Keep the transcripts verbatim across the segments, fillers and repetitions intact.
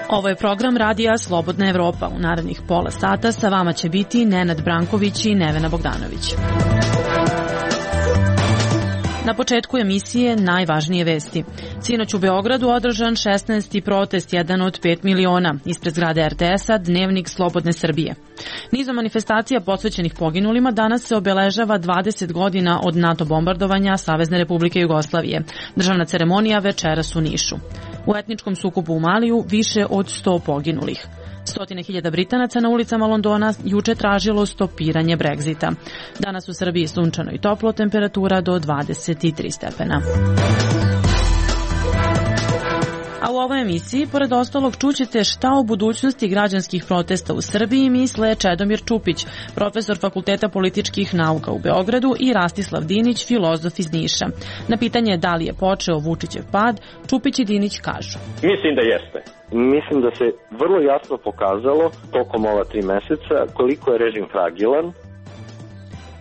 Ovo je program radija Slobodna Evropa. U narednih pola sata sa vama će biti Nenad Branković i Nevena Bogdanović. Na početku emisije najvažnije vesti. Sinoć u Beogradu održan šesnaesti protest, jedan od pet miliona. Ispred zgrade er te es-a Dnevnik Slobodne Srbije. Nizom manifestacija posvećenih poginulima danas se obeležava dvadeset godina od NATO bombardovanja Savezne Republike Jugoslavije. Državna ceremonija večeras u Nišu. U etničkom sukobu u Maliju više od sto poginulih. Stotine hiljada Britanaca na ulicama Londona juče tražilo stopiranje Brexita. Danas u Srbiji sunčano i toplo, temperatura do dvadeset tri stepena. A u ovoj emisiji, pored ostalog, čućete šta o budućnosti građanskih protesta u Srbiji misle Čedomir Čupić, profesor Fakulteta političkih nauka u Beogradu, i Rastislav Dinić, filozof iz Niša. Na pitanje da li je počeo Vučićev pad, Čupić i Dinić kažu: Mislim da jeste. Mislim da se vrlo jasno pokazalo tokom ova tri meseca koliko je režim fragilan.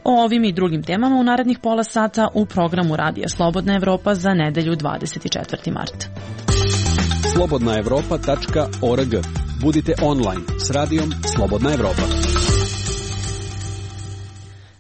O ovim i drugim temama u narednih pola sata u programu Radija Slobodna Evropa za nedelju dvadeset četvrtog marta. slobodna evropa tačka org. Budite online s radijom Slobodna Evropa.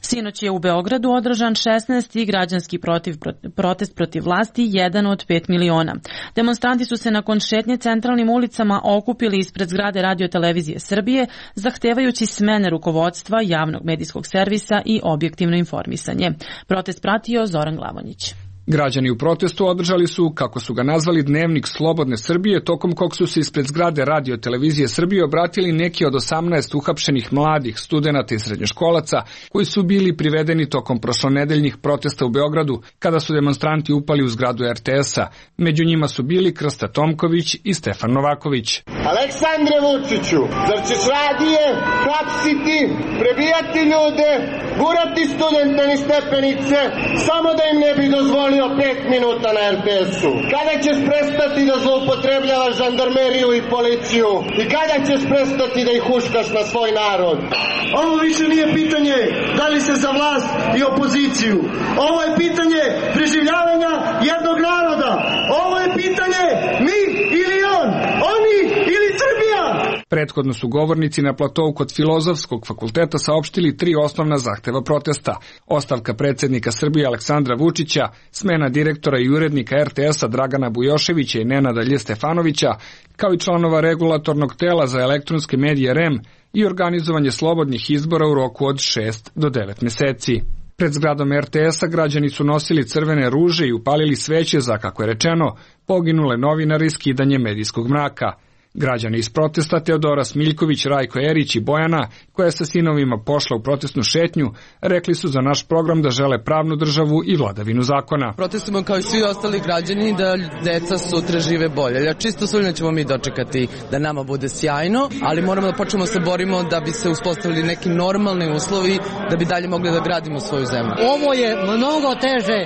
Sinoć je u Beogradu održan šesnaesti građanski protiv, protest protiv vlasti, jedan od pet miliona. Demonstranti su se nakon šetnje centralnim ulicama okupili ispred zgrade Radio-televizije Srbije, zahtevajući smene rukovodstva javnog medijskog servisa i objektivno informisanje. Protest pratio Zoran Glavonjić. Građani u protestu održali su, kako su ga nazvali, Dnevnik Slobodne Srbije, tokom kog su se ispred zgrade Radio-televizije Srbije obratili neki od osamnaest uhapšenih mladih studenata i srednjoškolaca koji su bili privedeni tokom prošlonedeljnih protesta u Beogradu, kada su demonstranti upali u zgradu er te es-a. Među njima su bili Krsta Tomković i Stefan Novaković. Aleksandre Vučiću, zar ćeš radije hapsiti, prebijati ljude, gurati studente niz stepenice, samo da im ne bi dozvolio pet minuta na er te es-u? Kada ćeš prestati da zloupotrebljavaš žandarmeriju i policiju? I kada ćeš prestati da ih huškaš na svoj narod? Ovo više nije pitanje da li se za vlast i opoziciju. Ovo je pitanje preživljavanja jednog naroda. Ovo je pitanje mi ili on, oni ili Srbija. Prethodno su govornici na platovu kod Filozofskog fakulteta saopštili tri osnovna zahteva protesta: ostavka predsjednika Srbije Aleksandra Vučića, smena direktora i urednika er te es-a Dragana Bujoševića i Nenada Lje Stefanovića, kao i članova regulatornog tela za elektronske medije er e em i organizovanje slobodnih izbora u roku od šest do devet meseci. Pred zgradom er te es-a građani su nosili crvene ruže i upalili sveće za, kako je rečeno, poginule novinare i skidanje medijskog mraka. Građani iz protesta Teodora Smiljković, Rajko Erić i Bojana, koja je sa sinovima pošla u protestnu šetnju, rekli su za naš program da žele pravnu državu i vladavinu zakona. Protestujemo kao i svi ostali građani da deca sutra žive bolje. Ja čisto sumnjam ćemo mi dočekati da nama bude sjajno, ali moramo da počnemo se borimo da bi se uspostavili neki normalni uslovi da bi dalje mogli da gradimo svoju zemlju. Ovo je mnogo teže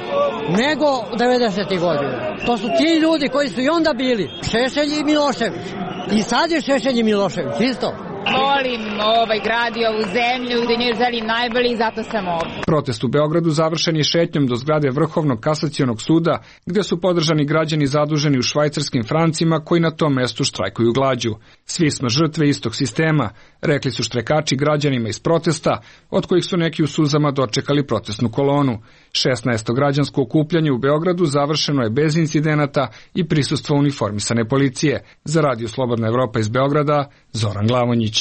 nego devedesetih godina. To su ti ljudi koji su i onda bili Šešelj i Milošević. I sad je Šešelj i Milošević, isto. Volim ovaj grad i ovu zemlju, da nju želim najbolje i zato sam ovdje. Protest u Beogradu završen je šetnjom do zgrade Vrhovnog kasacionog suda, gde su podržani građani zaduženi u švajcarskim francima koji na tom mestu štrajkuju glađu. Svi smo žrtve istog sistema, rekli su štrajkači građanima iz protesta, od kojih su neki u suzama dočekali protestnu kolonu. šesnaesto građansko okupljanje u Beogradu završeno je bez incidenata i prisustvo uniformisane policije. Za Radio Slobodna Evropa iz Beograda, Zoran Glavonjić.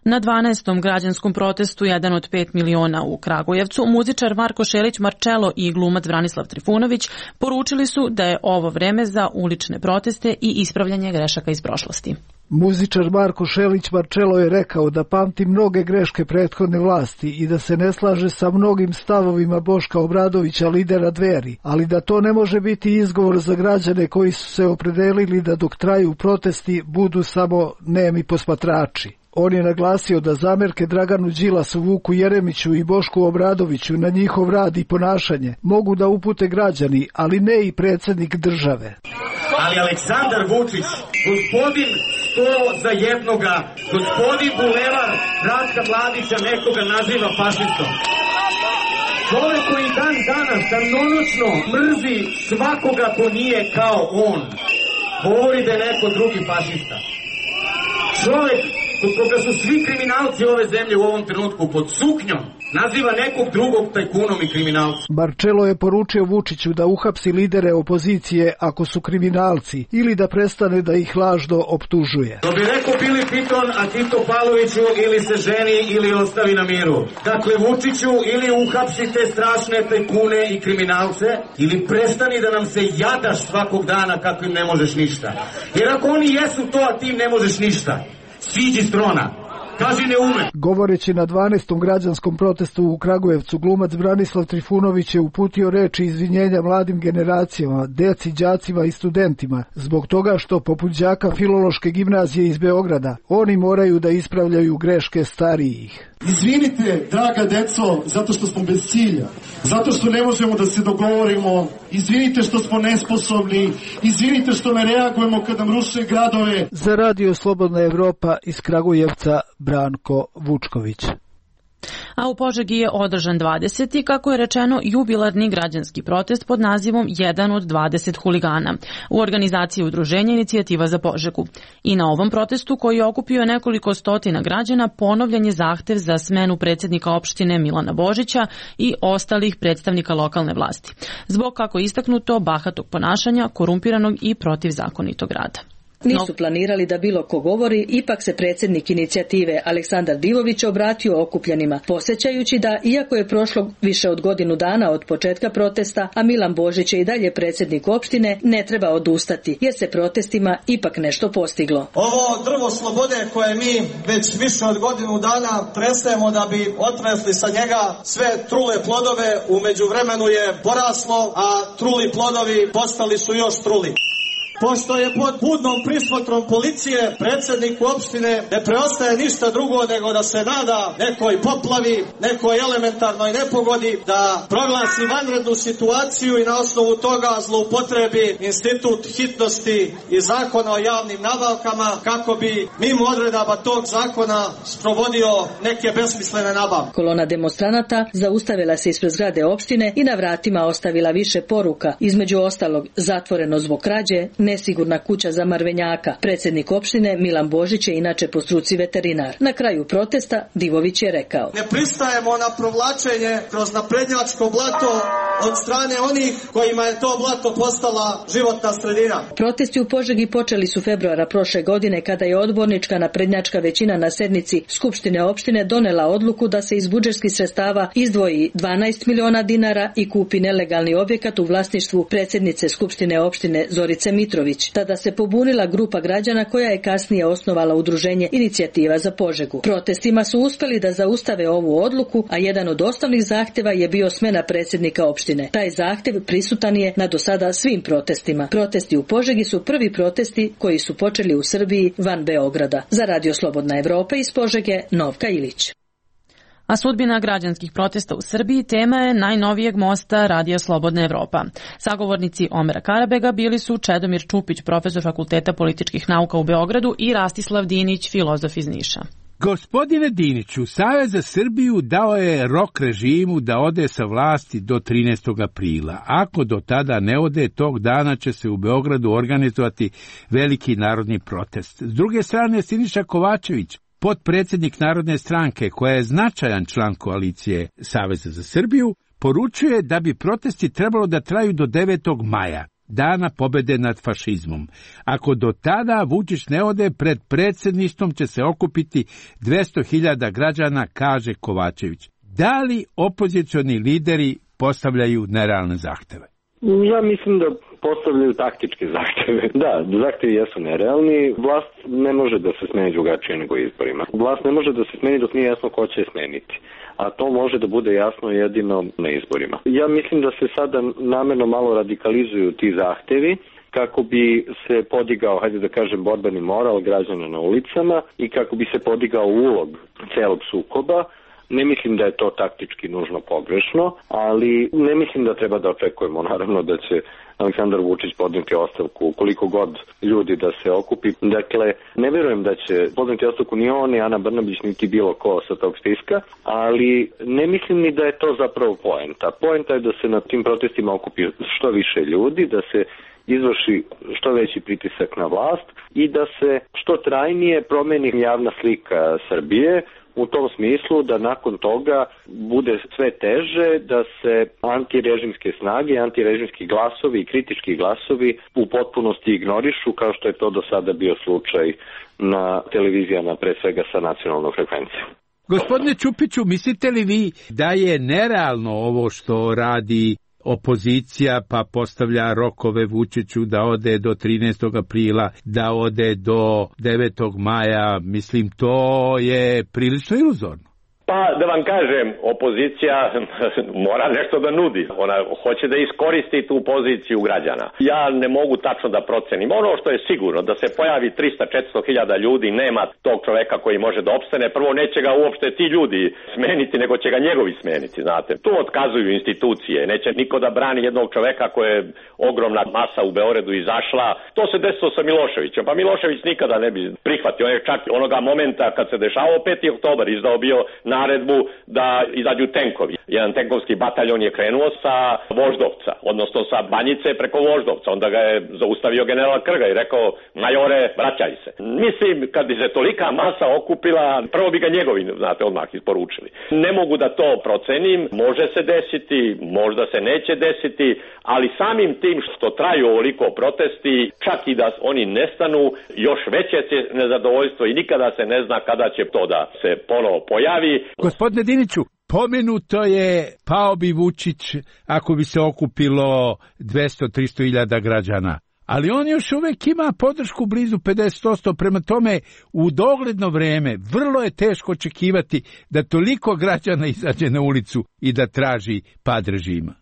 Na dvanaestom građanskom protestu jedan od pet miliona u Kragujevcu, muzičar Marko Šelić Marčelo i glumac Branislav Trifunović poručili su da je ovo vreme za ulične proteste i ispravljanje grešaka iz prošlosti. Muzičar Marko Šelić Marčelo je rekao da pamti mnoge greške prethodne vlasti i da se ne slaže sa mnogim stavovima Boška Obradovića, lidera Dveri, ali da to ne može biti izgovor za građane koji su se opredelili da dok traju protesti budu samo nemi posmatrači. On je naglasio da zamerke Draganu Đilasu, Vuku Jeremiću i Bošku Obradoviću na njihov rad i ponašanje mogu da upute građani, ali ne i predsjednik države. Ali Aleksandar Vučić, gospodin sto za jednoga. Gospodin Bulevar Ratka Mladića nekoga naziva fašistom. Čovek koji dan danas danonoćno mrzi svakoga ko nije kao on, govori da je neko drugi fašista. Čovek kod koga su svi kriminalci ove zemlje u ovom trenutku pod suknjom, naziva nekog drugog tajkunom i kriminalcem. Marčelo je poručio Vučiću da uhapsi lidere opozicije ako su kriminalci ili da prestane da ih lažno optužuje. To bi rekao Bili Piton, a Tito Pavloviću ili se ženi ili ostavi na miru. Dakle, Vučiću, ili uhapsite strašne tajkune i kriminalce, ili prestani da nam se jadaš svakog dana kako im ne možeš ništa. Jer ako oni jesu to, a ti im ne možeš ništa, siđi s trona. Kaži ne ume. Govoreći na dvanaestom građanskom protestu u Kragujevcu, glumac Branislav Trifunović je uputio reči izvinjenja mladim generacijama, deci, đacima i studentima, zbog toga što poput đaka Filološke gimnazije iz Beograda, oni moraju da ispravljaju greške starijih. Izvinite, draga deco, zato što smo bez cilja, zato što ne možemo da se dogovorimo, izvinite što smo nesposobni, izvinite što ne reagujemo kad nam ruše gradove. Za Radio Slobodna Evropa iz Kragujevca, Branko Vučković. A u Požegi je održan dvadeseti, kako je rečeno, jubilarni građanski protest pod nazivom jedan od dvadeset huligana u organizaciji udruženja Inicijativa za Požegu. I na ovom protestu, koji je okupio nekoliko stotina građana, ponovljen je zahtev za smenu predsjednika opštine Milana Božića i ostalih predstavnika lokalne vlasti, zbog, kako je istaknuto, bahatog ponašanja, korumpiranog i protivzakonitog rada. Nisu planirali da bilo ko govori, ipak se predsjednik inicijative Aleksandar Divović obratio okupljenima, podsjećajući da, iako je prošlo više od godinu dana od početka protesta, a Milan Božić je i dalje predsjednik opštine, ne treba odustati, jer se protestima ipak nešto postiglo. Ovo drvo slobode koje mi već više od godinu dana tresemo da bi otresli sa njega sve trule plodove, u međuvremenu je poraslo, a truli plodovi postali su još truli. Pošto je pod budnom prismotrom policije predsjedniku opštine ne preostaje ništa drugo nego da se nada nekoj poplavi, nekoj elementarnoj nepogodi, da proglasi vanrednu situaciju i na osnovu toga zloupotrebi institut hitnosti i zakona o javnim nabavkama kako bi mimo odredaba tog zakona sprovodio neke besmislene nabavke. Kolona demonstranata zaustavila se ispred zgrade opštine i na vratima ostavila više poruka, između ostalog zatvoreno zbog krađe, nesigurna kuća za Marvenjaka. Predsjednik opštine Milan Božić je inače po struci veterinar. Na kraju protesta Divović je rekao: Ne pristajemo na provlačenje kroz naprednjačko blato od strane onih kojima je to blato postala životna sredina. Protesti u Požegi počeli su februara prošle godine, kada je odbornička naprednjačka većina na sednici Skupštine opštine donela odluku da se iz budžetskih sredstava izdvoji dvanaest miliona dinara i kupi nelegalni objekat u vlasništvu predsjednice Skupštine opštine Zorice Mitrović. Tada se pobunila grupa građana koja je kasnije osnovala udruženje Inicijativa za Požegu. Protestima su uspeli da zaustave ovu odluku, a jedan od osnovnih zahtjeva je bio smena predsjednika opštine. Taj zahtjev prisutan je na do sada svim protestima. Protesti u Požegi su prvi protesti koji su počeli u Srbiji van Beograda. Za Radio Slobodna Evropa iz Požege, Novka Ilić. A sudbina građanskih protesta u Srbiji tema je najnovijeg mosta Radija Slobodna Evropa. Sagovornici Omera Karabega bili su Čedomir Čupić, profesor Fakulteta političkih nauka u Beogradu, i Rastislav Dinić, filozof iz Niša. Gospodine Diniću, Savez za Srbiju dao je rok režimu da ode sa vlasti do trinaestog aprila. Ako do tada ne ode, tog dana će se u Beogradu organizovati veliki narodni protest. S druge strane, Siniša Kovačević, potpredsjednik Narodne stranke, koja je značajan član koalicije Saveza za Srbiju, poručuje da bi protesti trebalo da traju do devetog maja, dana pobede nad fašizmom. Ako do tada Vučić ne ode, pred predsjedništvom će se okupiti dvesta hiljada građana, kaže Kovačević. Da li opozicioni lideri postavljaju nerealne zahteve? Ja mislim da postavljaju taktičke zahteve. Da, zahtevi jesu nerealni. Vlast ne može da se smeni drugačije nego izborima. Vlast ne može da se smeni dok nije jasno ko će je smeniti. A to može da bude jasno jedino na izborima. Ja mislim da se sada namerno malo radikalizuju ti zahtevi kako bi se podigao, hajde da kažem, borbeni moral građana na ulicama i kako bi se podigao ulog celog sukoba, Ne mislim da je to taktički nužno pogrešno, ali ne mislim da treba da očekujemo naravno da će Aleksandar Vučić podneti ostavku koliko god ljudi da se okupi. Dakle, ne verujem da će podneti ostavku ni on, ni Ana Brnabić, niti bilo ko sa tog spiska, ali ne mislim ni da je to zapravo poenta. Poenta je da se na tim protestima okupi što više ljudi, da se izvrši što veći pritisak na vlast i da se što trajnije promeni javna slika Srbije, u tom smislu da nakon toga bude sve teže da se antirežimske snage, antirežimski glasovi i kritički glasovi u potpunosti ignorišu, kao što je to do sada bio slučaj na televizijama, pre svega sa nacionalnom frekvencijom. Gospodine Ćupiću, mislite li vi da je nerealno ovo što radi opozicija, pa postavlja rokove Vučiću da ode do trinaestog aprila, da ode do devetog maja, mislim, to je prilično iluzorno. Pa, da vam kažem, opozicija mora nešto da nudi. Ona hoće da iskoristi tu poziciju građana. Ja ne mogu tačno da procenim. Ono što je sigurno, da se pojavi trista do četiristo hiljada ljudi, nema tog čoveka koji može da opstane. Prvo, neće ga uopšte ti ljudi smeniti, nego će ga njegovi smeniti, znate. Tu otkazuju institucije. Neće niko da brani jednog čoveka koje je ogromna masa u Beogradu izašla. To se desilo sa Miloševićem. Pa Milošević nikada ne bi prihvatio. On je čak onoga momenta kad se dešavao peti oktobar izdao bio naredbu da izađu tenkovi. Jedan tenkovski bataljon je krenuo sa Voždovca, odnosno sa Banjice preko Voždovca. Onda ga je zaustavio general Krga i rekao, majore, vraćaj se. Mislim, kad bi se tolika masa okupila, prvo bi ga njegovi, znate, odmah isporučili. Ne mogu da to procenim, može se desiti, možda se neće desiti, ali samim tim što traju ovoliko protesti, čak i da oni nestanu, još veće će nezadovoljstvo i nikada se ne zna kada će to da se ponovo pojavi. Gospodine Diniću, pomenuto je pao bi Vučić ako bi se okupilo dvesta do trista hiljada građana, ali on još uvek ima podršku blizu pedeset posto, prema tome u dogledno vreme vrlo je teško očekivati da toliko građana izađe na ulicu i da traži pad režima.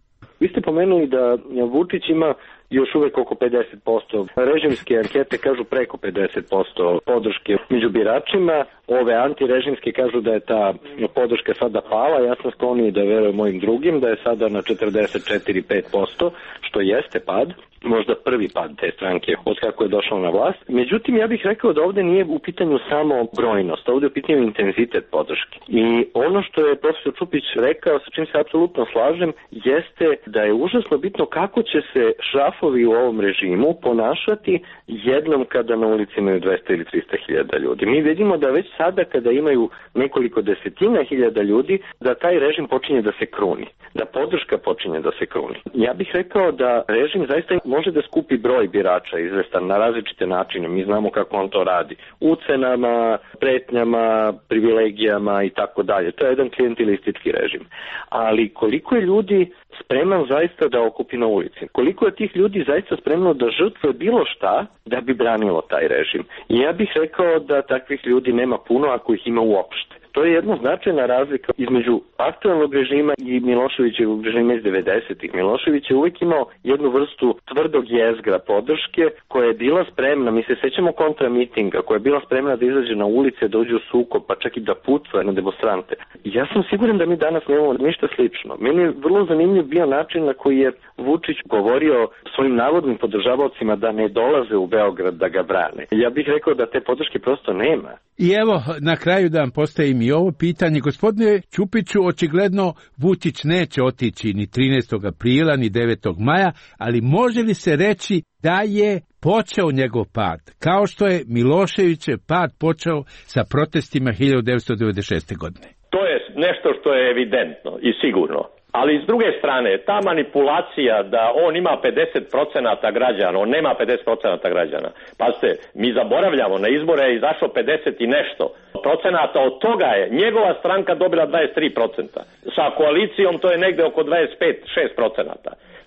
Vi ste pomenuli da Vučić ima još uvek oko pedeset posto. Režimske ankete kažu preko pedeset posto podrške među biračima. Ove antirežimske kažu da je ta podrška sada pala. Ja sam skloniji da verujem mojim drugim, da je sada na četrdeset četiri do pet posto, što jeste pad. Možda prvi pad te stranke od kako je došao na vlast. Međutim, ja bih rekao da ovde nije u pitanju samo brojnost, ovde je u pitanju intenzitet podrške. I ono što je profesor Ćupić rekao, sa čim se apsolutno slažem, jeste da je užasno bitno kako će se šrafovi u ovom režimu ponašati jednom kada na ulici imaju dvesta ili trista hiljada ljudi. Mi vidimo da već sada kada imaju nekoliko desetina hiljada ljudi, da taj režim počinje da se kruni, da podrška počinje da se kruni. Ja bih rekao da režim zaista može da skupi broj birača izvestan na različite načine. Mi znamo kako on to radi. Ucenama, pretnjama, privilegijama i tako dalje. To je jedan klijentilistički režim. Ali koliko je ljudi spreman zaista da okupi na ulici? Koliko je tih ljudi zaista spremno da žrtve bilo šta da bi branilo taj režim? I ja bih rekao da takvih ljudi nema puno ako ih ima uopšte. To je jedna značajna razlika između aktualnog režima i Miloševićevog režima iz devedesetih. Milošević je uvijek imao jednu vrstu tvrdog jezgra podrške koja je bila spremna, mi se sećamo kontramitinga, koja je bila spremna da izađe na ulice, da uđe u sukob, pa čak i da pucuje na demonstrante. Ja sam siguran da mi danas nemamo ništa slično. Meni je vrlo zanimljiv bio način na koji je Vučić govorio svojim navodnim podržavaocima da ne dolaze u Beograd da ga brane. Ja bih rekao da te podrške prosto nema. I evo, na kraju da vam postavim i ovo pitanje. Gospodine Ćupiću, očigledno Vučić neće otići ni trinaestog aprila, ni devetog maja, ali može li se reći da je počeo njegov pad, kao što je Miloševićev pad počeo sa protestima hiljadu devetsto devedeset šeste. godine? To je nešto što je evidentno i sigurno. Ali s druge strane, ta manipulacija da on ima pedeset posto građana, on nema pedeset posto građana. Pazite, mi zaboravljamo, na izbore je izašlo pedeset i nešto procenata, od toga je njegova stranka dobila dvadeset tri posto. Sa koalicijom to je negde oko dvadeset pet do šest posto.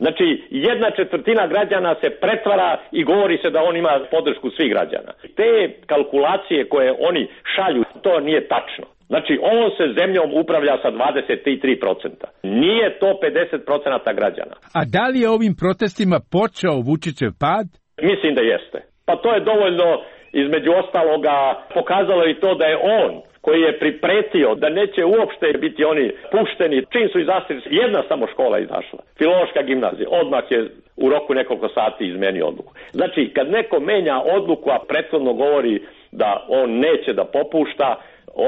Znači, jedna četvrtina građana se pretvara i govori se da on ima podršku svih građana. Te kalkulacije koje oni šalju, to nije tačno. Znači, ovom se zemljom upravlja sa dvadeset tri posto. Nije to pedeset posto građana. A da li je ovim protestima počeo Vučićev pad? Mislim da jeste. Pa to je dovoljno, između ostaloga, pokazalo i to da je on koji je pripretio da neće uopšte biti oni pušteni, čim su izašli, jedna samo škola izašla, Filološka gimnazija, odmah je u roku nekoliko sati izmenio odluku. Znači, kad neko menja odluku, a prethodno govori da on neće da popušta,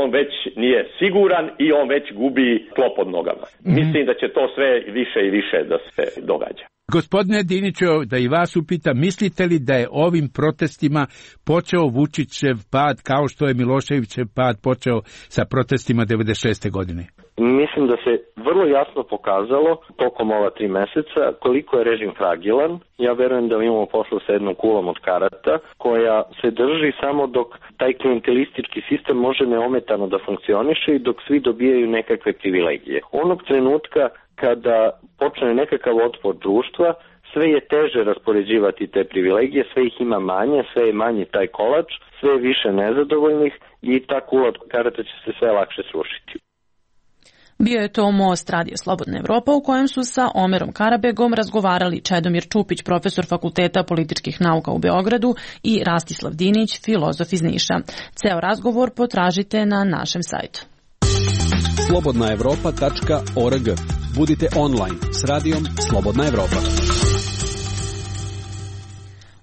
on već nije siguran i on već gubi tlo pod nogama. Mm-hmm. Mislim da će to sve više i više da se događa. Gospodine Diniću, da i vas upitam, mislite li da je ovim protestima počeo Vučićev pad kao što je Miloševićev pad počeo sa protestima devedeset šeste godine? Mislim da se vrlo jasno pokazalo tokom ova tri meseca koliko je režim fragilan. Ja verujem da imamo posla sa jednom kulom od karata koja se drži samo dok taj klientelistički sistem može neometano da funkcioniše i dok svi dobijaju nekakve privilegije. Onog trenutka kada počne nekakav otpor društva, sve je teže raspoređivati te privilegije, sve ih ima manje, sve je manji taj kolač, sve je više nezadovoljnih i ta kula od karata će se sve lakše srušiti. Bio je to Most Radio Slobodna Evropa u kojem su sa Omerom Karabegom razgovarali Čedomir Čupić, profesor Fakulteta političkih nauka u Beogradu i Rastislav Dinić, filozof iz Niša. Ceo razgovor potražite na našem sajtu. slobodna evropa tačka org. Budite online s radijom Slobodna Evropa.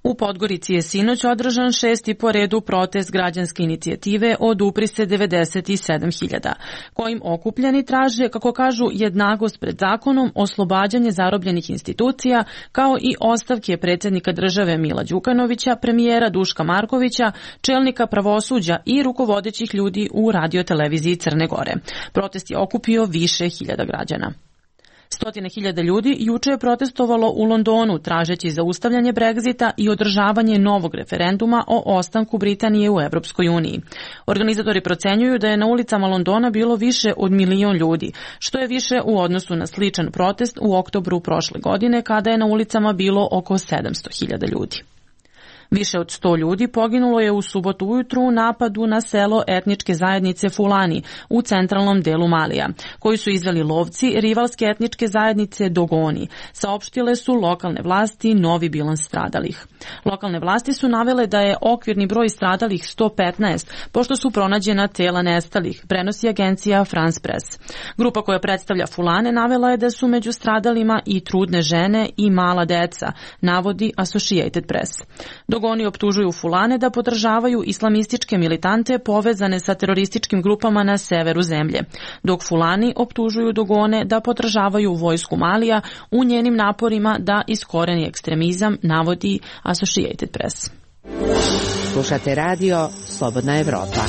U Podgorici je sinoć održan šesti po redu protest građanske inicijative Odupri se devedeset sedam hiljada, kojim okupljeni traže, kako kažu, jednakost pred zakonom, oslobađanje zarobljenih institucija, kao i ostavke predsjednika države Mila Đukanovića, premijera Duška Markovića, čelnika pravosuđa i rukovodećih ljudi u radioteleviziji Crne Gore. Protest je okupio više hiljada građana. Stotine hiljada ljudi juče je protestovalo u Londonu tražeći zaustavljanje Brexita i održavanje novog referenduma o ostanku Britanije u Evropskoj uniji. Organizatori procenjuju da je na ulicama Londona bilo više od milion ljudi, što je više u odnosu na sličan protest u oktobru prošle godine kada je na ulicama bilo oko sedamsto hiljada ljudi. Više od sto ljudi poginulo je u subotu ujutru u napadu na selo etničke zajednice Fulani u centralnom delu Malija, koji su izveli lovci rivalske etničke zajednice Dogoni. Saopštile su lokalne vlasti novi bilans stradalih. Lokalne vlasti su navele da je okvirni broj stradalih sto petnaest, pošto su pronađena tela nestalih, prenosi agencija France Press. Grupa koja predstavlja Fulane navela je da su među stradalima i trudne žene i mala deca, navodi Associated Press. Dogoni optužuju Fulane da podržavaju islamističke militante povezane sa terorističkim grupama na severu zemlje, dok Fulani optužuju Dogone da podržavaju vojsku Malija u njenim naporima da iskoreni ekstremizam, navodi Associated Press. Slušate radio Slobodna Evropa.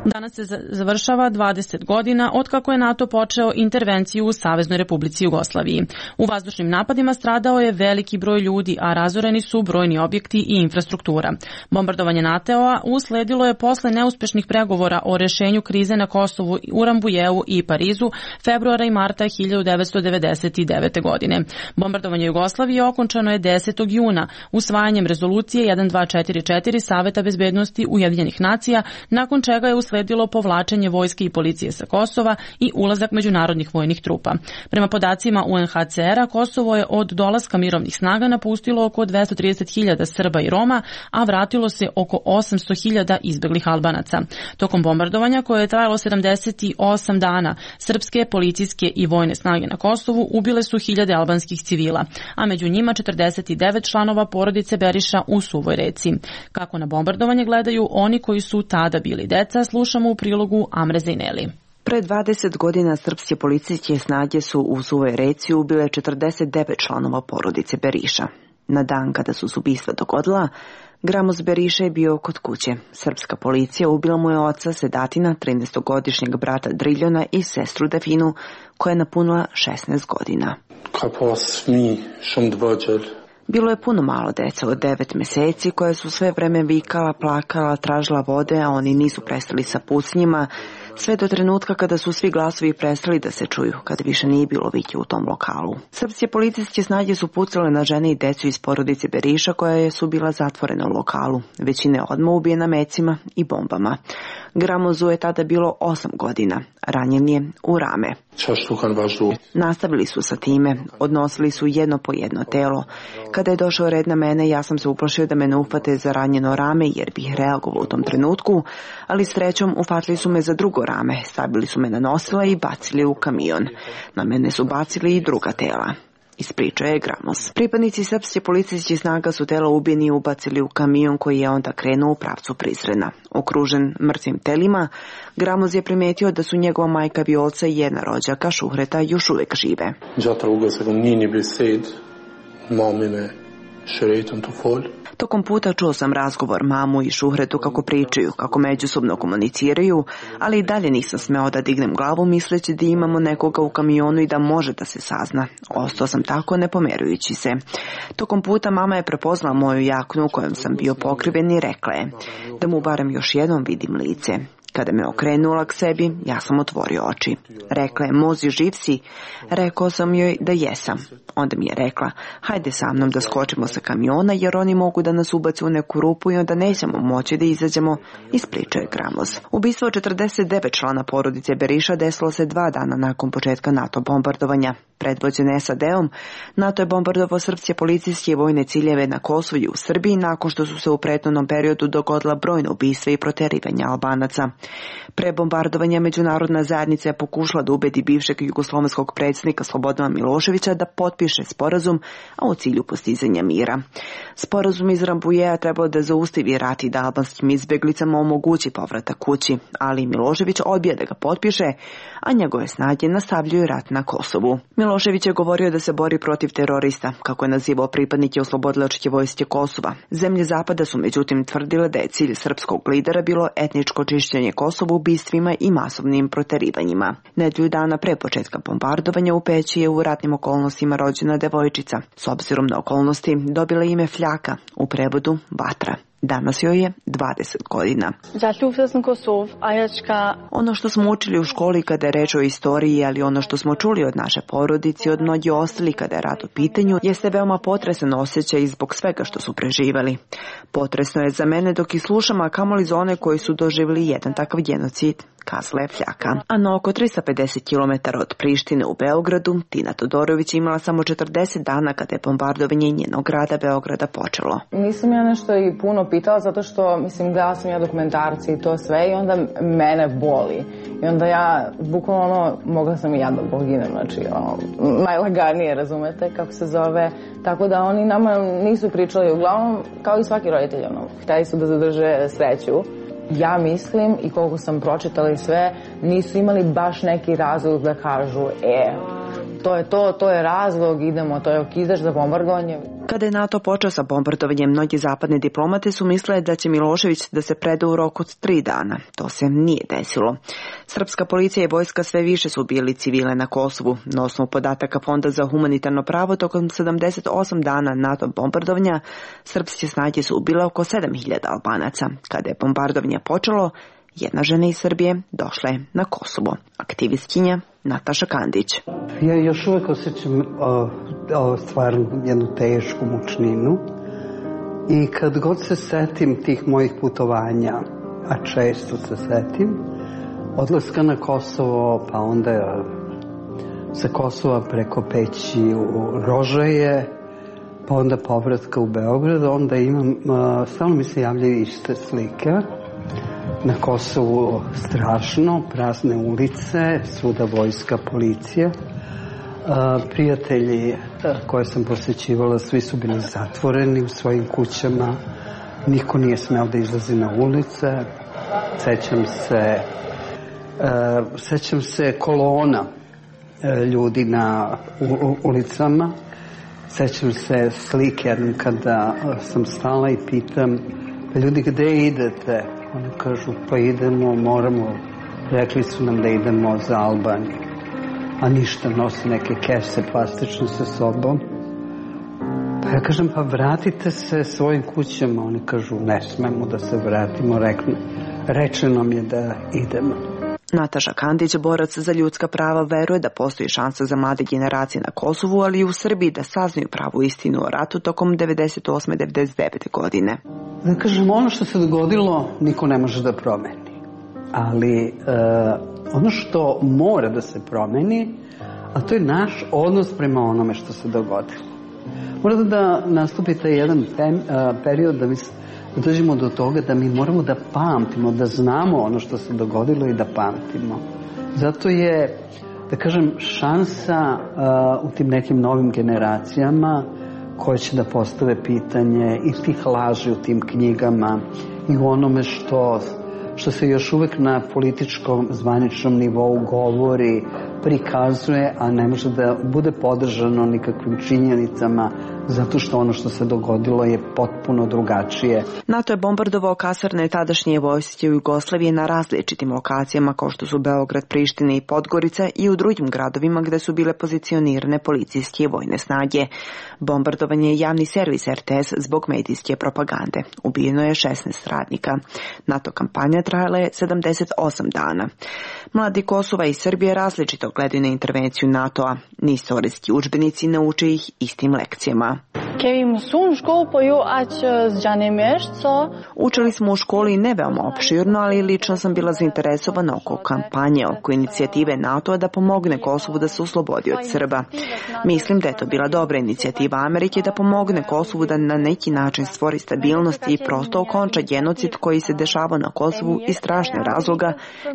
Danas se završava dvadeset godina od kako je NATO počeo intervenciju u Saveznoj Republici Jugoslaviji. U vazdušnim napadima stradao je veliki broj ljudi, a razoreni su brojni objekti i infrastruktura. Bombardovanje NATO-a usledilo je posle neuspešnih pregovora o rešenju krize na Kosovu, u Rambujeu i Parizu februara i marta hiljadu devetsto devedeset devete. godine. Bombardovanje Jugoslavije okončano je desetog juna usvajanjem rezolucije jedan dva četiri četiri Saveta bezbednosti Ujedinjenih nacija, nakon čega je usledilo sledilo povlačenje vojske i policije sa Kosova i ulazak međunarodnih vojnih trupa. Prema podacima U N H C R-a, Kosovo je od dolaska mirovnih snaga napustilo oko dvesta trideset hiljada Srba i Roma, a vratilo se oko osamsto hiljada izbeglih Albanaca. Tokom bombardovanja, koje je trajalo sedamdeset osam dana, srpske, policijske i vojne snage na Kosovu ubile su hiljade albanskih civila, a među njima četrdeset devet članova porodice Beriša u Suvoj Reci. Kako na bombardovanje gledaju oni koji su tada bili deca, slušamo u prilogu Amre Zejneli. Pre dvadeset godina srpske policijske snage su u Suvoj Reci ubile četrdeset devet članova porodice Beriša. Na dan kada su se ubistva dogodila, Gramos Beriša je bio kod kuće. Srpska policija ubila mu je oca Sedatina, trinaestogodišnjeg brata Driljona i sestru Definu, koja je napunila šesnaest godina. Bilo je puno malo deca od devet meseci koje su sve vreme vikala, plakala, tražila vode, a oni nisu prestali sa pucnjima. Sve do trenutka kada su svi glasovi prestali da se čuju, kada više nije bilo vića u tom lokalu. Srpske policijske snage su pucale na žene i decu iz porodice Beriša koja su bila zatvorena u lokalu. Većina je odmah ubijena mecima i bombama. Gramozu je tada bilo osam godina. Ranjen je u rame. Nastavili su sa time, odnosili su jedno po jedno telo. Kada je došao red na mene, ja sam se uplašio da me ne uhvate za ranjeno rame jer bih reagovao u tom trenutku, ali srećom ufatili su me za drugo rame, stavili su me na nosila i bacili u kamion. Na mene su bacili i druga tela. Ispričao je Gramos. Pripadnici srpske policijskih snaga su tela ubijeni ubacili u kamion koji je onda krenuo u pravcu Prizrena. Okružen mrtvim telima, Gramos je primetio da su njegova majka Violca i jedna rođaka Šuhreta još uvek žive. Tokom puta čuo sam razgovor mamu i Šuhretu kako pričaju, kako međusobno komuniciraju, ali i dalje nisam smeo da dignem glavu misleći da imamo nekoga u kamionu i da može da se sazna. Ostao sam tako ne pomerujući se. Tokom puta mama je prepoznala moju jaknu u kojom sam bio pokriven i rekla je da mu barem još jednom vidim lice. Kada me okrenula k sebi, ja sam otvorio oči. Rekla je, Mozi, živ si? Rekao sam joj da jesam. Onda mi je rekla, hajde sa mnom da skočimo sa kamiona jer oni mogu da nas ubace u neku rupu i onda nećemo moći da izađemo, ispričao je Gramos. Ubistvo četrdeset devet člana porodice Beriša desilo se dva dana nakon početka NATO bombardovanja. Predvođen S A D-om, NATO je bombardovao srpske policijske i vojne ciljeve na Kosovu i u Srbiji nakon što su se u prethodnom periodu dogodila brojna ubistva i proterivanja Albanaca. Pre bombardovanja međunarodna zajednica je pokušala da ubedi bivšeg jugoslovenskog predsjednika Slobodana Miloševića da potpiše sporazum, a u cilju postizanja mira. Sporazum iz Rambujea trebalo da zaustavi rat i da albanskim izbjeglicama omogući povratak kući, ali Milošević odbija da ga potpiše, a njegove snage nastavljaju rat na Kosovu. Milošević je govorio da se bori protiv terorista, kako je nazivao pripadnike oslobodilačke vojske Kosova. Zemlje Zapada su međutim tvrdile da je cilj srpskog lidera bilo etničko čišćenje Kosova ubistvima i masovnim proterivanjima. Nedelju dana pre početka bombardovanja u Peći je u ratnim okolnostima rođena devojčica. S obzirom na okolnosti dobila ime Fljaka, u prevodu Vatra. Danas joj je dvadeset godina. Ono što smo učili u školi kada je reč o istoriji, ali ono što smo čuli od naše porodice i od mnogi ostali kada je rat u pitanju, jeste veoma potresan osjećaj zbog svega što su preživali. Potresno je za mene dok i slušam, a kamoli za one koji su doživjeli jedan takav genocid, kazala je Fljaka. A na oko tristo pedeset kilometara od Prištine u Beogradu, Tina Todorović imala samo četrdeset dana kada je bombardovanje njenog grada Beograda počelo. Nisam ja nešto i puno pitala zato što, mislim, gledala sam ja dokumentarci i to sve i onda mene boli. I onda ja, bukvalno ono, mogla sam i ja da poginem, znači, ono, najlaganije, razumete, kako se zove. Tako da oni nama nisu pričali, uglavnom, kao i svaki roditelj, ono, hteli su da zadrže sreću. Ja mislim, i koliko sam pročitala i sve, nisu imali baš neki razlog da kažu, e, to je to, to je razlog, idemo, to je okidaš za bombardovanje. Kada je NATO počeo sa bombardovanjem, mnogi zapadne diplomate su mislile da će Milošević da se preda u roku od tri dana. To se nije desilo. Srpska policija i vojska sve više su ubijali civile na Kosovu. Na osnovu podataka Fonda za humanitarno pravo, tokom sedamdeset osam dana NATO bombardovanja, srpske snage su ubile oko sedam hiljada Albanaca. Kada je bombardovanje počelo, jedna žena iz Srbije došla je na Kosovo. Aktivistkinja Nataša Kandić. Ja još uvek osjećam o, o, stvarno jednu tešku mučninu i kad god se setim tih mojih putovanja, a često se setim, odlaska na Kosovo, pa onda sa Kosova preko Peći u Rožaje, pa onda povratka u Beograd, onda imam, stalno mi se javljaju iste slike. Na Kosovu strašno, prazne ulice, svuda vojska, policija. Prijatelji koje sam posjećivala, svi su bili zatvoreni u svojim kućama. Niko nije smeo da izlazi na ulice. Sećam se, sećam se kolona ljudi na ulicama. Sećam se slike jednom kada sam stala i pitam, ljudi, gde idete? Oni kažu, pa idemo, moramo, rekli su nam da idemo za Albaniju, a ništa, nose neke kese plastične sa sobom. Pa ja kažem, pa vratite se svojim kućama. Oni kažu, ne smemo da se vratimo, rekli, rečeno nam je da idemo. Nataša Kandić, borac za ljudska prava, veruje da postoji šansa za mlade generacije na Kosovu, ali i u Srbiji da saznaju pravu istinu o ratu tokom devedeset osme devedeset devete godine. Da kažem, ono što se dogodilo niko ne može da promeni. Ali e, ono što mora da se promeni, a to je naš odnos prema onome što se dogodilo. Mora da nastupi taj jedan pem, a, period da mi da dođemo do toga da mi moramo da pamtimo, da znamo ono što se dogodilo i da pamtimo. Zato je, da kažem, šansa a, u tim nekim novim generacijama koje će da postave pitanje i tih laži u tim knjigama i u onome što, što se još uvek na političkom zvaničnom nivou govori, prikazuje, a ne može da bude podržano nikakvim činjenicama, zato što ono što se dogodilo je potpuno drugačije. NATO je bombardovao kasarne tadašnje vojske u Jugoslaviji na različitim lokacijama kao što su Beograd, Priština i Podgorica i u drugim gradovima gde su bile pozicionirane policijske i vojne snage. Bombardovan je javni servis R T S zbog medijske propagande. Ubijeno je šesnaest radnika. NATO kampanja trajala je sedamdeset osam dana. Mladi Kosova i Srbije različito gledaju na intervenciju NATO-a. Ni istorijski udžbenici ne uče ih istim lekcijama. Učili smo u školi ne veoma opširno, ali lično sam bila zainteresovana oko kampanje, oko inicijative NATO-a da pomogne Kosovu da se oslobodi od Srba. Mislim da je to bila dobra inicijativa Amerike da pomogne Kosovu da na neki način stvori stabilnost i prosto okonča genocid koji se dešava na Kosovu iz strašne razloga,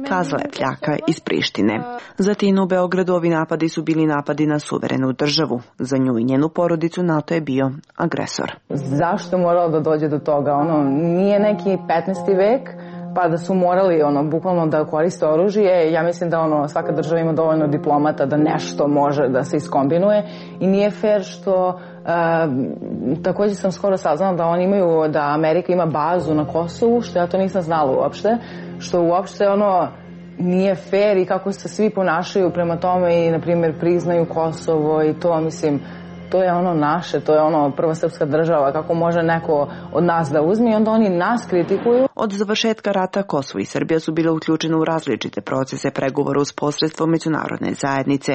kazala je Pljaka iz Prištine. Zatim u Beogradu ovi napadi su bili napadi na suverenu državu. Za nju i njenu porodicu NATO je bio agresor. Zašto je moralo da dođe do toga? Ono, nije neki petnaesti vek, pa da su morali ono, bukvalno da koriste oružje. Ja mislim da ono, svaka država ima dovoljno diplomata da nešto može da se iskombinuje i nije fair što Uh, također sam skoro saznala da oni imaju, da Amerika ima bazu na Kosovu, što ja to nisam znala uopšte, što uopšte ono nije fair i kako se svi ponašaju prema tome i na primjer priznaju Kosovo i to, mislim, to je ono naše, to je ono prva srpska država, kako može neko od nas da uzme i onda oni nas kritikuju. Od završetka rata Kosovo i Srbija su bile uključene u različite procese pregovora uz posredstvo međunarodne zajednice.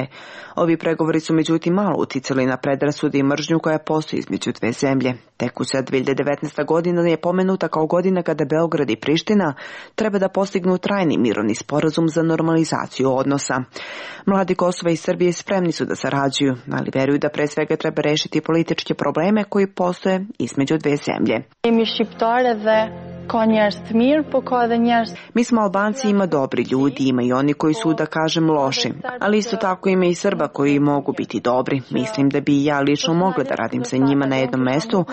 Ovi pregovori su međutim malo uticali na predrasude i mržnju koja postoji između dve zemlje. Tekuća dve hiljade devetnaesta. godina je pomenuta kao godina kada Beograd i Priština treba da postignu trajni mirovni sporazum za normalizaciju odnosa. Mladi Kosova i Srbije spremni su da sarađuju, ali veruju da pre svega treba rešiti političke probleme koji postoje između dve zemlje. Mi smo Albanci, ima dobri ljudi, ima i oni koji su, da kažem, loši, ali isto tako ima i Srba koji mogu biti dobri. Mislim da bi i ja lično mogla da radim sa njima na jednom mestu,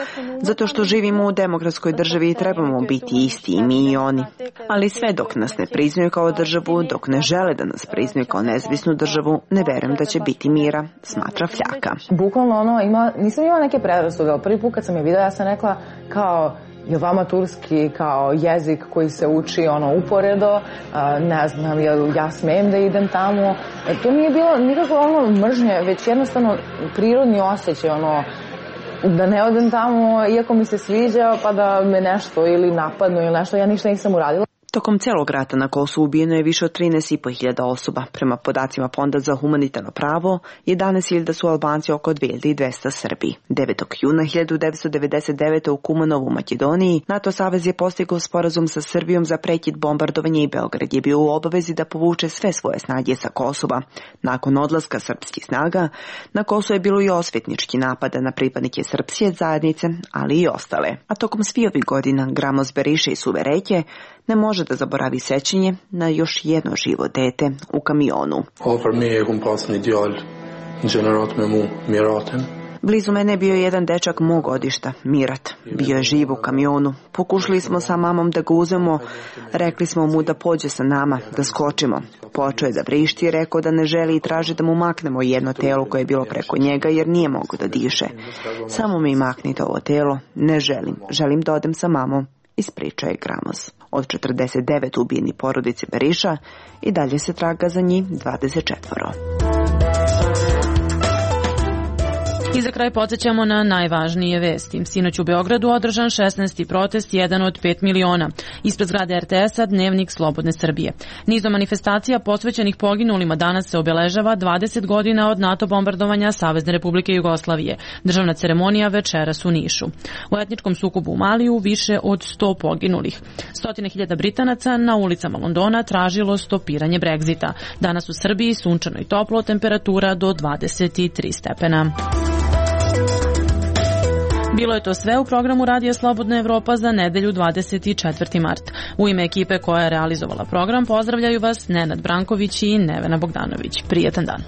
zato što živimo u demokratskoj državi i trebamo biti isti i mi i oni. Ali sve dok nas ne priznaju kao državu, dok ne žele da nas priznaju kao nezavisnu državu, ne verujem da će biti mira, smatra Fljaka. Bukvalno ono, ima, nisam imala neke predrasude, ali prvi put kad sam je videla, ja sam rekla kao, je vama turski kao jezik koji se uči ono uporedo, ne znam, jel ja smem da idem tamo. To nije bilo nikako ono mržnje, već jednostavno prirodni osjećaj, ono, da ne odem tamo iako mi se sviđa pa da me nešto ili napadnu ili nešto, ja ništa nisam uradila. Tokom celog rata na Kosovu ubijeno je više od trinaest i po hiljada osoba. Prema podacima Fonda za humanitarno pravo, jedanaest hiljada su Albanci, oko dve hiljade dvesta Srbi. devetog juna hiljadu devetsto devedeset devete. u Kumanovu, Makedoniji, NATO savez je postigao sporazum sa Srbijom za prekid bombardovanja i Beograd je bio u obavezi da povuče sve svoje snage sa Kosova. Nakon odlaska srpskih snaga, na Kosovu je bilo i osvetnički napada na pripadnike srpske zajednice, ali i ostale. A tokom svih ovih godina Gramos Beriša i Suve Reke ne može da zaboravi sećanje na još jedno živo dete u kamionu. Blizu mene je bio jedan dečak mog godišta, Mirat. Bio je živ u kamionu. Pokušali smo sa mamom da ga uzmemo, rekli smo mu da pođe sa nama, da skočimo. Počeo je da vrišti i rekao da ne želi i traži da mu maknemo jedno telo koje je bilo preko njega jer nije mogao da diše. Samo mi maknite ovo telo, ne želim, želim da odem sa mamom, ispričao je Gramos. Od četrdeset devet ubijeni porodice Beriša i dalje se traga za njih dvadeset četvoro. I za kraj podsjećamo na najvažnije vesti. Sinoć u Beogradu održan šesnaesti protest, jedan od pet miliona. Ispred zgrade er te es-a Dnevnik Slobodne Srbije. Nizom manifestacija posvećenih poginulima danas se obeležava dvadeset godina od NATO bombardovanja Savezne Republike Jugoslavije. Državna ceremonija večeras u Nišu. U etničkom sukobu u Maliju više od sto poginulih. Stotine hiljada Britanaca na ulicama Londona tražilo stopiranje Brexita. Danas u Srbiji sunčano i toplo, temperatura do dvadeset tri stepena. Bilo je to sve u programu Radija Slobodna Evropa za nedelju dvadeset četvrti mart. U ime ekipe koja je realizovala program pozdravljaju vas Nenad Branković i Nevena Bogdanović. Prijetan dan.